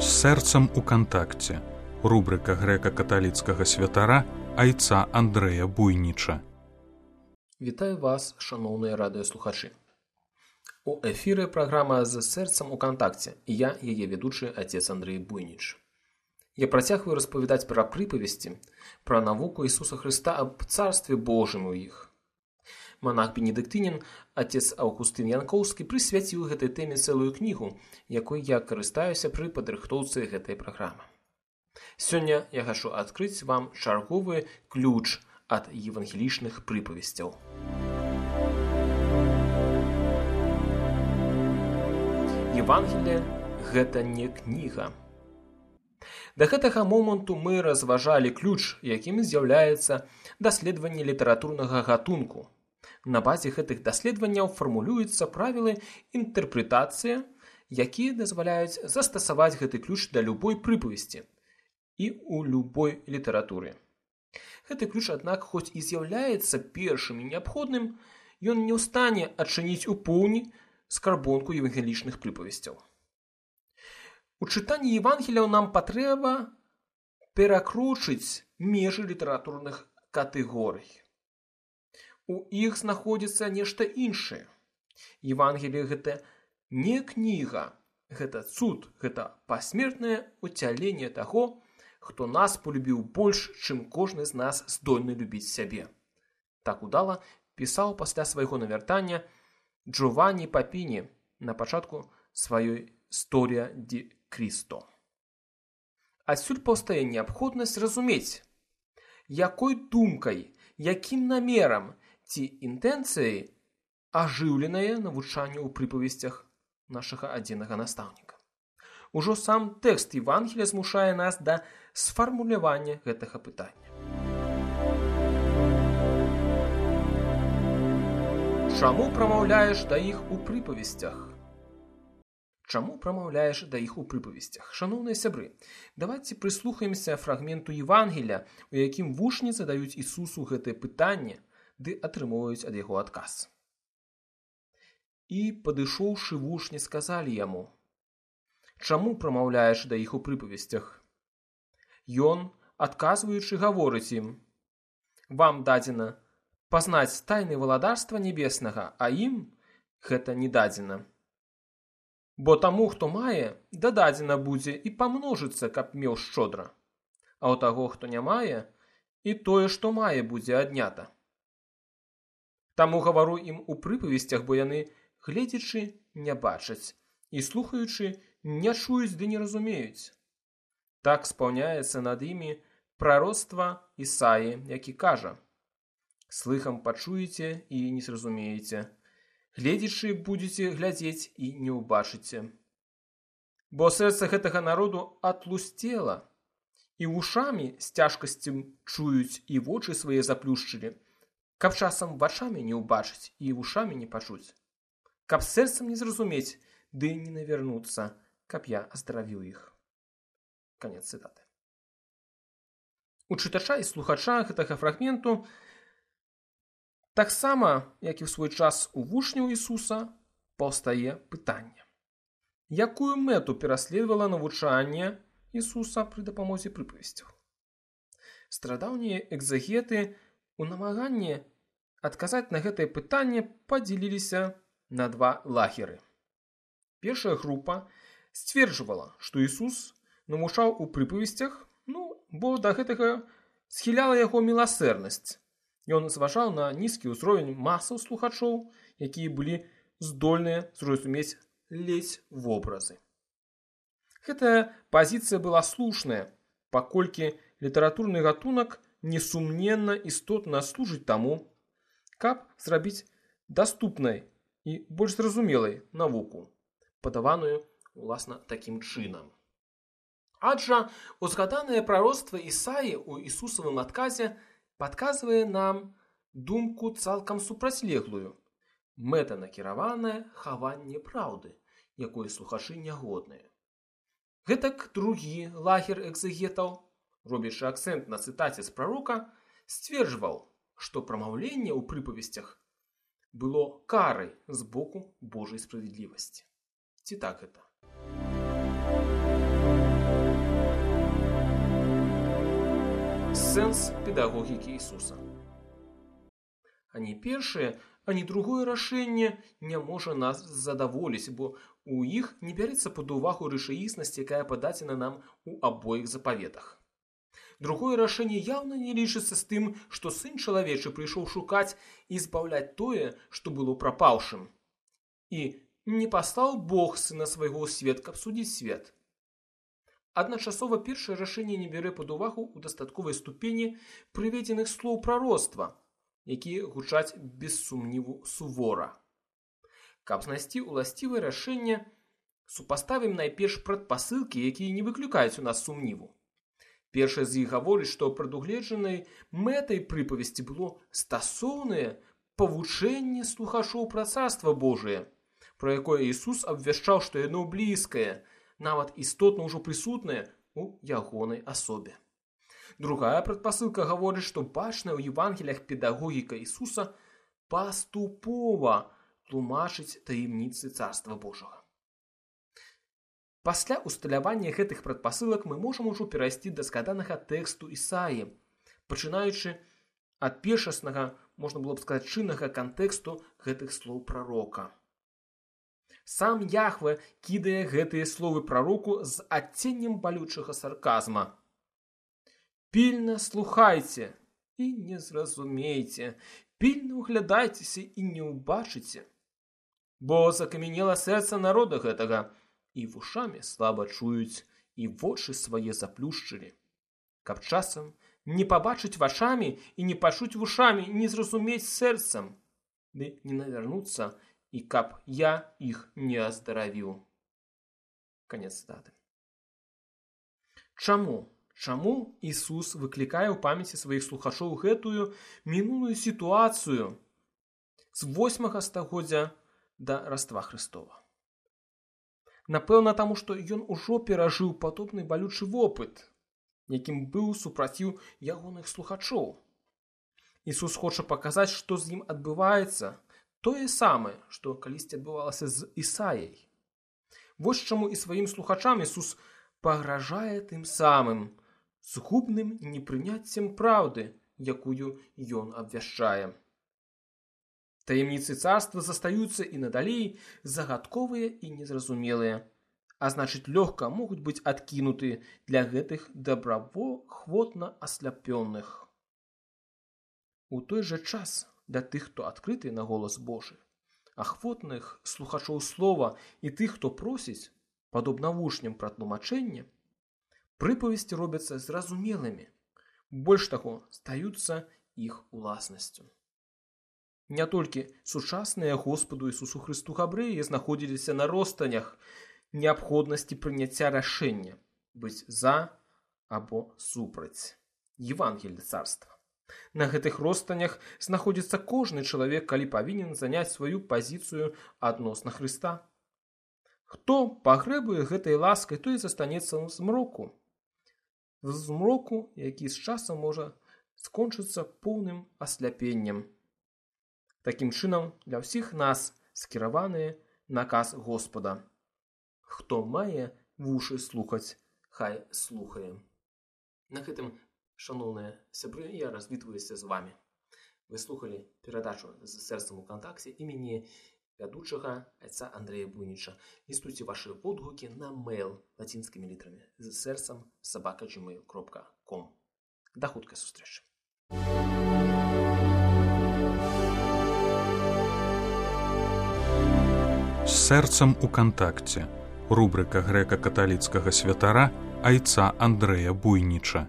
З сэрцам у кантакце. Рубрика грэка-каталіцкага святара айца Андрэя Буйніча. Вітаю вас, шановныя радыёслухачы. У эфіры праграма «З сэрцам у кантакце» і я, яе ведучы, отец Андрей Буйніч. Я працягваю распавядаць пра прыпавесці, пра навуку Ісуса Хрыста аб Царстве Божым у іх. Манах-бенедыктынін, отец Аўгустын Янкоўскі, прысвяціў гэтай тэме цэлую кнігу, якой я карыстаюся пры падрыхтоўцы гэтай праграмы. Сёння я хачу адкрыць вам чарговы ключ ад евангелічных прыпавесцяў. Евангелие – гэта не кніга. Да гэтага моманту мы разважалі ключ, якім з'яўляецца даследаванне літаратурнага гатунку. На базе гэтых даследаванняў фармулююцца правілы інтэрпрэтацыі, якія дазваляюць застасаваць гэты ключ да любой прыпавесці і ў любой літаратуры. Гэты ключ, аднак, хоць і з'яўляецца першым і неабходным, ён не ў стане адчыніць у поўні скарбонку евангелічных прыпавесцяў. У чытанні Евангеліяў нам патрэба перакручыць межы літаратурных катэгорый. У іх знаходзіцца нешта іншае. Евангелие – гэта не кніга, гэта цуд, гэта пасмертнае уцяленне таго, хто нас полюбіў больш, чым кожны з нас здольны любіць сябе. Так удала пісаў пасля свайго навяртання Джованні Папіні на пачатку сваёй «Storia di Cristo». Адсюль паўстае неабходнасць разумець, якой думкай, якім намерам ці інтэнцыяй ажыўленае навучанне ў прыпавесцях нашага адзінага настаўніка. Ужо сам тэкст Евангелія змушае нас да сфармулявання гэтага пытання. Чаму прамаўляеш да іх у прыпавесцях? Чаму прамаўляеш да іх у прыпавесцях? Шаноўныя сябры, давайце прыслухаемся фрагменту Евангелія, у якім вучні задаюць Ісусу гэтае пытанне, ды атрымоўваюць ад яго адказ. І, падышоўшы вучні, сказалі яму: «Чаму прамаўляеш да іх у прыпавесцях?» Ён, адказваючы, гаворыць ім: «Вам дадзена пазнаць тайны валадарства небеснага, а ім гэта не дадзена. Бо таму, хто мае, дададзена будзе і памножыцца, каб меў шчодра. А ў таго, хто не мае, і тое, што мае, будзе аднята. Таму гавару ім у прыпавесцях, бо яны, гледзячы, не бачаць, і слухаючы, не чуюць ды не разумеюць. Так спаўняецца над імі прароцтва Ісаі, які кажа: слыхам пачуеце і не зразумееце, гледзячы будзеце глядзець і не ўбачыце. Бо сэрца гэтага народу атлусцела, і вушамі з цяжкасцем чуюць, і вочы свае заплюшчылі, каб часам вачамі не ўбачыць і вушамі не пачуць, каб сэрцам не зразумець, ды не навярнуцца, каб я аздаравіў іх». Канец цытаты. У чытача і слухача гэтага фрагменту таксама, як і ў свой час у вучняў Ісуса, паўстае пытанне. Якую мэту пераследавала навучанне Ісуса пры дапамозе прыпавесцяў? Старадаўнія экзегеты у намаганні адказаць на гэтае пытанне падзяліліся на два лагеры. Першая група сцверджвала, што Ісус навучаў у прыпавесцях, бо да гэтага схіляла яго міласэрнасць. Ён зважаў на нізкі ўзровень масаў слухачоў, якія былі здольныя зразумець ледзь вобразы. Гэтая пазіцыя была слушная, паколькі літаратурны гатунак несумненна істотна служыць таму, каб зрабіць даступнай і больш зразумелай навуку, падаваную, уласна, такім чынам. Аджа узгаданае прароцтва Ісаі ў Ісусавым адказе падказвае нам думку цалкам супрацьлеглую, мэтанакіраванае хаванне праўды, якой слухачы нягодныя. Гэтак другі лагер экзегетаў, робячы акцэнт на цытаце з прарока, сцверджваў, што прамаўленне ў прыпавесцях было карай з боку Божай справядлівасці. Ці так гэта? сэнс педагогікі Ісуса. Ані першае, ані другое рашэнне не можа нас задаволіць, бо у іх не бярэцца пад увагу рэчаіснасць, якая пададзена нам у абоіх запаветах. Другое рашэнне яўна не лічыцца з тым, што сын чалавечы прыйшоў шукаць і збаўляць тое, што было прапаўшым. І не паслаў Бог сына свайго ў свет, каб судзіць свет. Адначасова першае рашэнне не бярэ пад увагу ў дастатковай ступені прыведзеных слоў прароцтва, якія гучаць без сумніву сувора. Каб знайсці ўласцівае рашэнне, супаставім найперш прадпасылкі, якія не выклікаюць у нас сумніву. Першае з іх гаворыць, што прадугледжанай мэтай прыпавесці было стасоўнае павучэнне слухачоў пра царства Божие, пра якое Ісус абвяшчаў, што яно блізкае, нават істотна ўжо прысутнае ў ягонай асобе. Другая прадпасылка гаворыць, што бачная ў Евангеліях педагогіка Ісуса паступова тлумачыць таямніцы царства Божага. Пасля усталявання гэтых прадпасылак мы можам ужо перайсці да згаданага тэксту Ісаі, пачынаючы ад першаснага, можна было б сказаць, чыннага кантэксту гэтых слоў прарока. Сам Яхве кідае гэтыя словы прароку з адценнем балючага сарказма. «Пільна слухайце і не зразумейце, пільна ўглядайцеся і не ўбачыце, бо закамянела сэрца народа гэтага, і вушамі слаба чуюць, і вочы свае заплюшчылі, каб часам не пабачыць вачамі і не пачуць вушамі, не зразумець сэрцам, ды не навярнуцца, і каб я іх не аздаравіў». Канец цытаты. Чаму Ісус выклікае ў памяці сваіх слухачоў гэтую мінулую сітуацыю з 8 стагоддзя да Раства Хрыстова? Напэўна, таму, што ён ужо перажыў падобны балючы вопыт, якім быў супраціў ягоных слухачоў. Ісус хоча паказаць, што з ім адбываецца, тое самае, што калісьці адбывалася з Ісаяй. Вось чаму і сваім слухачам Ісус пагражае тым самым, згубным непрыняццем праўды, якую ён абвяшчае. Таямніцы царства застаюцца і надалей загадковыя і незразумелыя, а значыць лёгка могуць быць адкінуты для гэтых добраахвотна асляпёных. У той жа час для тых, хто адкрыты на голас Божы, ахвотных слухачоў слова і тых, хто просіць, падобна вучням пра тлумачэнне, прыпавесці робяцца зразумелымі, больш таго, стаюцца іх уласнасцю. Не толькі сучасныя Господу Ісусу Хрысту габрэі знаходзіліся на ростанях неабходнасці прыняцця рашэння быць за або супраць Евангелля царства. На гэтых ростанях знаходзіцца кожны чалавек, калі павінен заняць сваю пазіцыю адносна Хрыста. Хто пагрэбуе гэтай ласкай, той застанецца ў змроку. В змроку, які з часам можа скончыцца поўным асляпеннем. Такім чынам, для ўсіх нас скіраваны наказ Господа. Хто мае вушы слухаць, хай слухае. На гэтым, шаноўныя сябры, я развітваюся з вамі. Вы слухалі перадачу з сэрцам у кантакце імені вядучага айца Андрэя Буйніча. Лістуйце вашы водгукі на мэйл лацінскімі літрамі з сэрцам @gmail.com. Да хуткай сустрэчы. З сэрцам у кантакце. Рубрика грэка-каталіцкага святара айца Андрэя Буйніча.